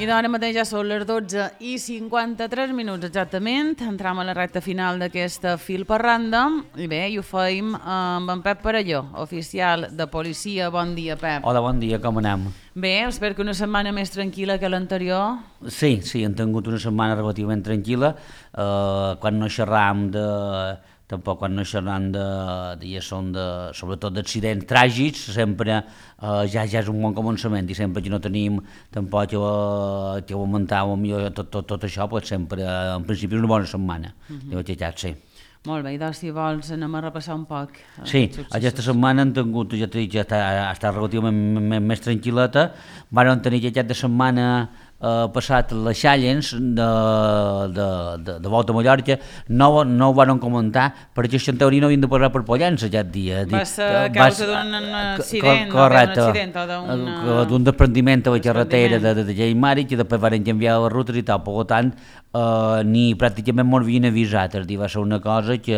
I d'ara mateix ja són les 12:53 exactament. Entram a la recta final d'aquesta Fil per Randa. I bé, i ho feim amb en Pep Parelló, oficial de policia. Bon dia, Pep. Hola, bon dia, com anem? Bé, espero que una setmana més tranquil·la que l'anterior. Sí, hem tingut una setmana relativament tranquil·la. Quan no xerram tampoc quan no xerram sobretot d'accidents tràgics, sempre ja és un bon començament i sempre que no tenim tampoc que augmentar tot això, pues sempre en principi és una bona setmana, de veritat, sí. Molt bé, i doncs si vols anem a repassar un poc. Sí, aquesta setmana hem tingut, ja t'he dit, ja està relativament més tranquil·leta. Vam tenir aquesta setmana passat les Challenge de volta a Mallorca. No ho van comentar perquè en teoria no havien de passar per Pollença aquest dia. Va ser a causa d'un accident, d'un desprendiment a la carretera de Lleimari, que després van canviar les rutes i tal, per tant ni pràcticament m'ho havien avisat, és a dir, va ser una cosa que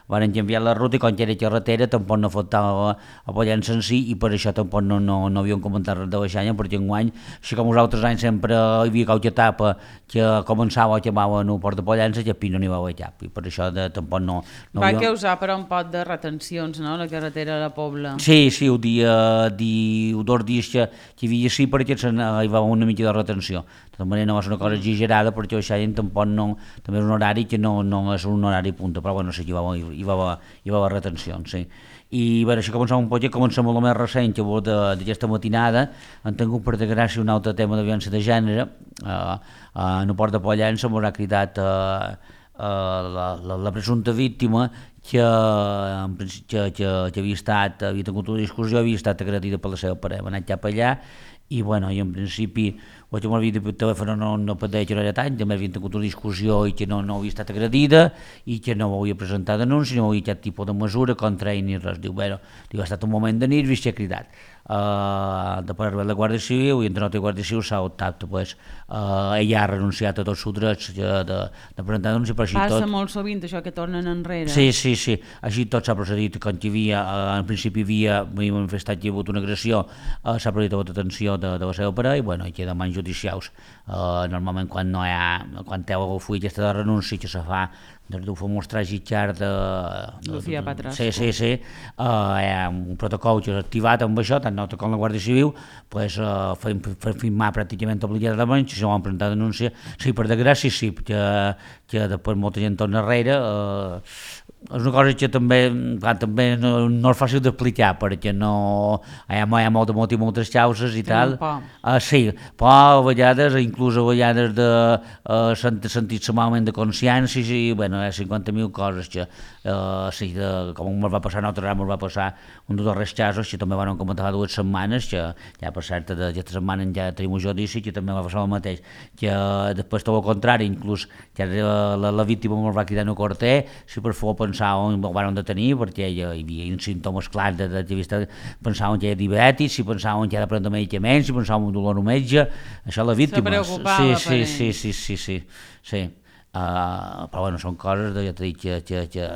van canviar la ruta i quan era carretera tampoc no afectava a Pollença en si i per això tampoc no havien comentat res de baixanya, perquè enguany, així com els altres anys sempre hi havia qualque etapa que començava o acabava en el port de Pollença, que no n'hi va haver cap, i per això tampoc no va causar però un pot de retencions, no?, la carretera de la Pobla. Sí, el dia, 2 dies que hi havia sí, perquè hi va haver una mica de retenció. De tota manera no va ser una cosa exagerada, perquè això tampoc no, també és un horari que no és un horari punta, però bueno, sí que hi va haver retencions, sí. I bé, així comencem un poc, comencem amb el més recent que d'aquesta matinada. Han tingut per desgràcia un altre tema de violència de gènere. En el port de Pollença m'ho ha cridat la presumpta víctima que havia tingut una discussió, havia estat agredida per la seva parella, va anar cap allà i bueno, i en principi o que m'havia dit per telèfon no pateix que no era tant, també havia tingut una discussió i que no havia estat agredida i que no havia presentat denúncia, no havia cap tipus de mesura contra ell ni res. Diu, bueno, ha estat un moment de nervis i s'ha cridat. Després de la Guàrdia Civil i entre la Guàrdia Civil s'ha optat, pues, ella ha renunciat a tots els drets de presentar denúncia, però així tot... Passa molt sovint això que tornen enrere. Sí, així tot s'ha procedit, quan hi havia, en principi havia manifestat que hi ha hagut una agressió, s'ha procedit a la detenció de la seva parella i bueno, hi queda mans judicials. Normalment quan té el full aquesta de renúncia que se fa des del famós tràgic xart de Lucía Patras. Sí, hi ha un protocol que és activat amb això, tant com la Guàrdia Civil, pues, firmar pràcticament obligatòriament, si no van presentar denúncia, sí, per desgràcia sí, que després molta gent torna enrere, és una cosa que també no és fàcil d'explicar perquè hi ha moltes causes i tal. Sí, però a vegades, inclús a vegades de sentir-se malament de consciència i bueno, hi ha 50.000 coses que sí, com ens va passar a nosaltres, ens va passar un dels darrers casos que també van comentar 2 setmanes, que ja per cert aquesta setmana ja tenim un judici que també va passar el mateix, que després tot el contrari, inclús que la víctima ens va cridar en el corter, si per favor pensaven que el van detenir perquè hi havia símptomes clars pensaven que era diabètic, si pensaven que era de prendre medicaments, si pensaven en dolor al metge, això la víctima. Se preocupava per ell. Sí. Però bueno, són coses ja t'he dit que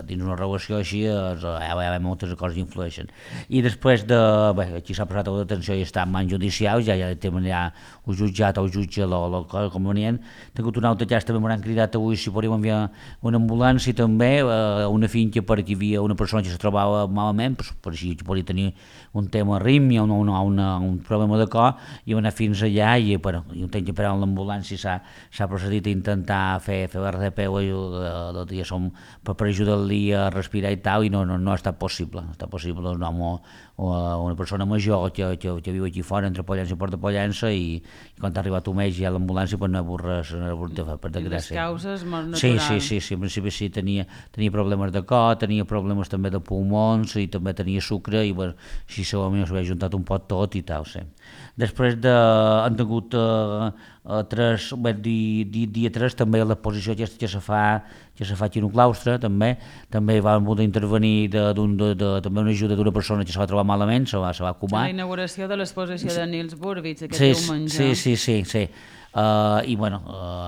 dins una relació així hi ha moltes coses que influeixen. I després aquí s'ha passat la detenció i està en mans judicials, ja tenen el jutjat o el jutge la cosa convenient. He tingut un altre cas, també m'han cridat avui si podríem enviar una ambulància també, una finca perquè hi havia una persona que se trobava malament, per així que podia tenir un tema arrítmia o un problema de cor, i va anar fins allà i un temps que per l'ambulància s'ha procedit a intentar fer RDP per ajudar-li a respirar i tal, i no ha estat possible. No ha estat possible un home o una persona major que viu aquí fora, entre Pollença i Port de Pollença, i quan ha arribat un mes ja a l'ambulància no ha hagut res per desgràcia. Les causes molt naturals. Sí, en principi sí, tenia problemes de cor, tenia problemes també de pulmons i també tenia sucre i bueno, així segurament s'havia juntat un pot tot i tal, sí. Després han tingut dia 3 també l'exposició aquesta que se fa aquí en un claustre, també va poder intervenir també una ajuda d'una persona que se va trobar malament, se va acomar. La inauguració de l'exposició de Nils Burbich, aquest diumenge. Sí. i bueno,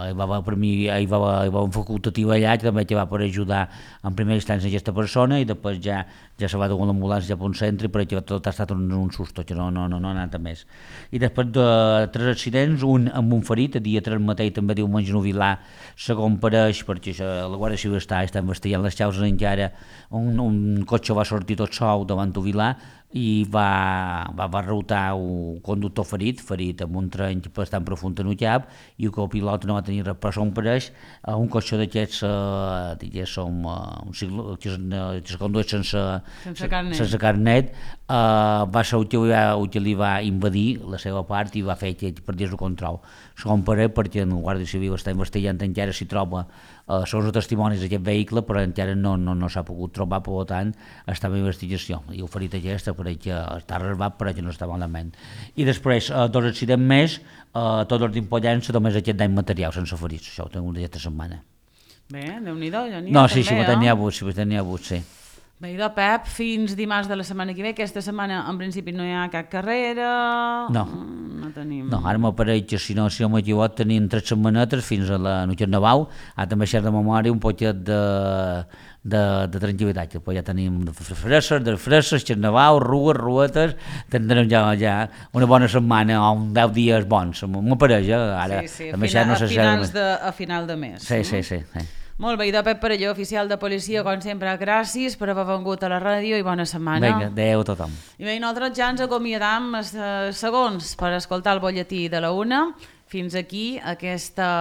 hi va haver per mi hi va haver un facultatiu allà que també va per ajudar en primera instància aquesta persona, i després ja se va dur l'ambulància cap a un centre, perquè tot ha estat un susto, que no ha anat a més. I després de 3 accidents, un amb un ferit, el dia 3 mateix també diumenge a Vilar, segon pareix, perquè la Guàrdia Civil està investigant les causes encara, un cotxe va sortir tot sol davant de Vilar i va reutar un conductor ferit amb un trenc bastant profund en el cap, i el copilot no va tenir res, però són pareix un cotxe d'aquests que es condueix sense carnet, va ser el que li va invadir la seva part i va fer que perdés el control. Segon parell, perquè el Guàrdia Civil està investigant encara si troba són els testimonis d'aquest vehicle, però encara no s'ha pogut trobar, per tant està en investigació, i el ferit aquest apareix que està reservat, però que no està malament. I després 2 accidents més, tots els d'Impollença, només aquest dany material sense ferits, això ho tenim aquesta setmana. Bé, Déu-n'hi-do, ja n'hi ha no, també, sí, n'hi ha hagut, sí. Bé, idò, Pep, fins dimarts de la setmana que ve. Aquesta setmana, en principi, no hi ha cap carrera. No tenim. No, ara m'apareix que, si no m'equivoc, tenim 3 setmanetes fins a la Carnaval. També deixar de memòria un poquet de tranquil·litat, que ja tenim fresses, Carnaval, ruetes, tindrem ja una bona setmana o 10 dies bons, m'apareix, ara. Sí, a final de mes. Sí. Molt bé, idò, Pep Parelló, oficial de policia, com sempre, gràcies per haver vingut a la ràdio i bona setmana. Vinga, adeu a tothom. I bé, nosaltres ja ens acomiadam segons per escoltar el butlletí de la 1. Fins aquí aquesta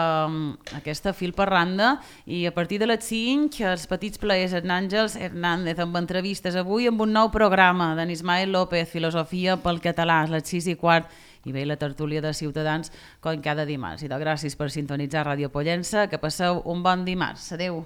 fil per randa, i a partir de les 5 els petits plaers en Àngels Hernández amb entrevistes avui amb un nou programa d'en Ismael López, Filosofia pel català, a les 6:15, i bé, la tertúlia de Ciutadans com cada dimarts. I gràcies per sintonitzar Ràdio Pollença, que passeu un bon dimarts. Adeu.